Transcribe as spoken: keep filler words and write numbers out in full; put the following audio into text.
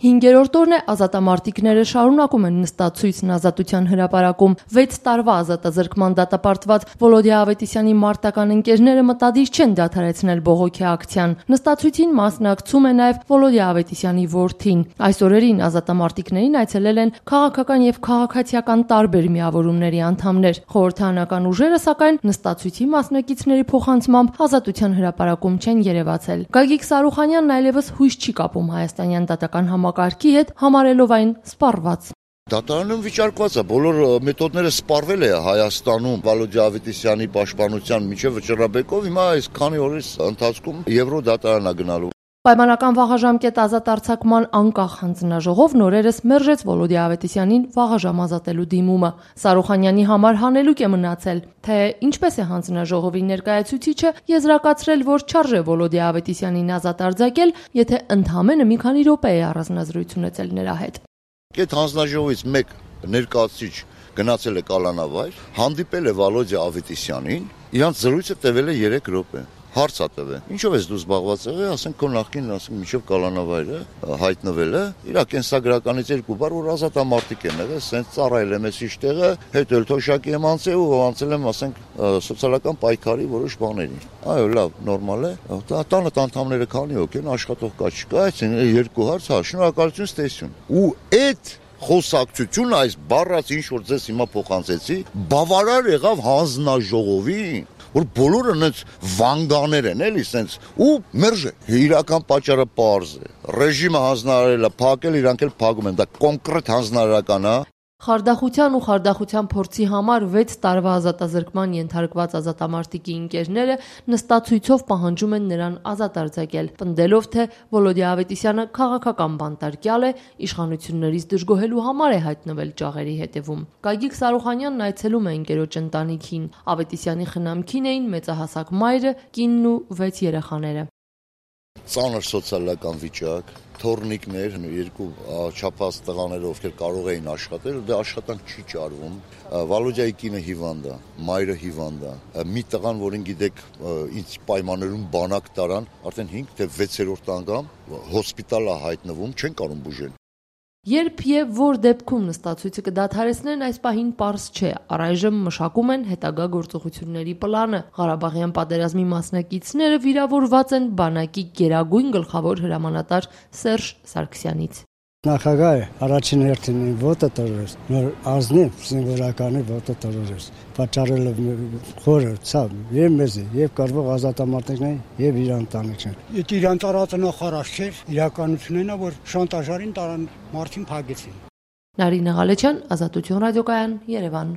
Հինգերորդ օրն է ազատամարտիկները շարունակում են նստացույցն Ազատության հրապարակում։ Վեց տարվա ազատազրկման դատապարտված Վոլոդիա Ավետիսյանի մարտական ընկերները մտադիր չեն դադարեցնել բողոքի ակցիան։ Նստացույցին մասնակցում է նաև Վոլոդիա Ավետիսյանի որդին։ Այս օրերին ազատամարտիկներին այցելել են քաղաքական եւ քաղաքացիական տարբեր միավորումների անդամներ։ Խորհրդարանական ուժերը, սակայն, նստացույցի մասնակիցների փոխանցմամբ Ազատության հրապարակում չեն երևացել։ Գագիկ Սարուխանյանն այլևս հույս չի կապում հայաստանյան դատական համակարգի հետ, համարելով այն սպառված։ Դատարանում վիճարկված է, բոլոր մեթոդները սպառվել է Հայաստանում Վոլոդիա Ավետիսյանի պաշտպանության միջև Վճռաբեկով, հիմա այս քանի օրից ընթացքում Եվրո դատարան է գնալու։ Պայմանական վաղաժամկետ ազատ արձակման անկախ հանձնաժողով նորերս մերժեց Վոլոդիա Ավետիսյանին վաղաժամ ազատելու դիմումը։ Սարուխանյանի համար հանելուկ է մնացել, թե ինչպես է հանձնաժողովի ներկայացուցիչը եզրակացրել, որ չարժե Վոլոդիա Ավետիսյանին ազատ արձակել, եթե ընդամենը մի քանի րոպե է առանձնազրույց ունեցել նրա հետ։ Այդ հանձնաժողովից մեկ ներկայացուցիչ գնացել է կալանավայր, հանդիպել է Վոլոդիա Ավետիսյանին, իրանց զրույցը տևել է երեք րոպե։ Հարց է տվել. ինչով ես դու զբաղված եղել, ասենք քո նախկին, ասենք միջև կալանավայրը հայտնվել է, իր կենսագրականից երկու բառ, որ ազատամարտիկ են եղել, սենց ծառայել եմ ես իշտեղը, հետո էլ թոշակի եմ անցել ու անցել եմ, ասենք, սոցիալական պայքարի որոշ բաների։ Այո, լավ, նորմալ է։ Տանը անդամները քանի հոգի են, աշխատող կա չկա, այսինքն երկու հարց, հա, շնորհակալություն, ստեսություն։ Ու այդ խոսակցությունը, այս բառած ինչ որ ձեզ հիմա փոխանցեցի, բավարար եղավ հանձնաժողովին, որ բոլորը նենց վանգաներ են, էլի, սենց, ու մերժ է։ Իրական պատճառը պարզ է։ Ռեժիմը հանձնարարել է փակել, իրանք էլ փակում են, դա կոնկրետ հանձնարարական է։ Խարդախության ու խարդախության փորձի համար վեց տարվա ազատազրկման ենթարկված ազատամարտիկի ընկերները նստացույցով պահանջում են նրան ազատ արձակել, պնդելով, թե Վոլոդիա Ավետիսյանը քաղաքական բանտարկյալ է, իշխանություններից դժգոհելու համար է հայտնվել ճաղերի հետևում։ Գագիկ Սարուխանյանն այցելում է ընկերոջ ընտանիքին։ Ավետիսյանի խնամքին էին մեծահասակ մայրը, կինն ու վեց երեխաները։ Ծանր սոցիալական վիճակ, թորնիկներ, երկու չափած տղաներ, ովքեր կարող էին աշխատել, դե աշխատանք չի ճարվում։ Վոլոդիայի կինը հիվանդ է, մայրը հիվանդ է։ Մի տղան, որին գիտեք, ինձ պայմաններում բանակ տարան, արդեն հինգ թե վեցերորդ անգամ հոսպիտալ է հայտնվում, չեն կարող բուժել։ Երբ եւ որ դեպքում նստացույցը կդադարեցնեն, այս պահին պարզ չէ։ Առայժմ մշակում են հետագա գործողությունների պլանը։ Ղարաբաղյան պատերազմի մասնակիցները վիրավորված են բանակի գերագույն գլխավոր հրամանատար Սերժ Սարգսյանից։ Նախագահը առաջին հերթին ոտը տրորեց, նոր ազնիվ զինվորականի ոտը տրորեց, պատճառել խորը, ցավ, եւ մեզ, եւ կարվող ազատամարտիկներին, եւ իր ընտանիքին։ Այդ իրան տարածը նախարար չէր, իրականությունն է, որ շանտաժարին տարան մարդին փակեցին։ Նարինե Ղալեչյան, Ազատություն ռադիոկայան, Երևան։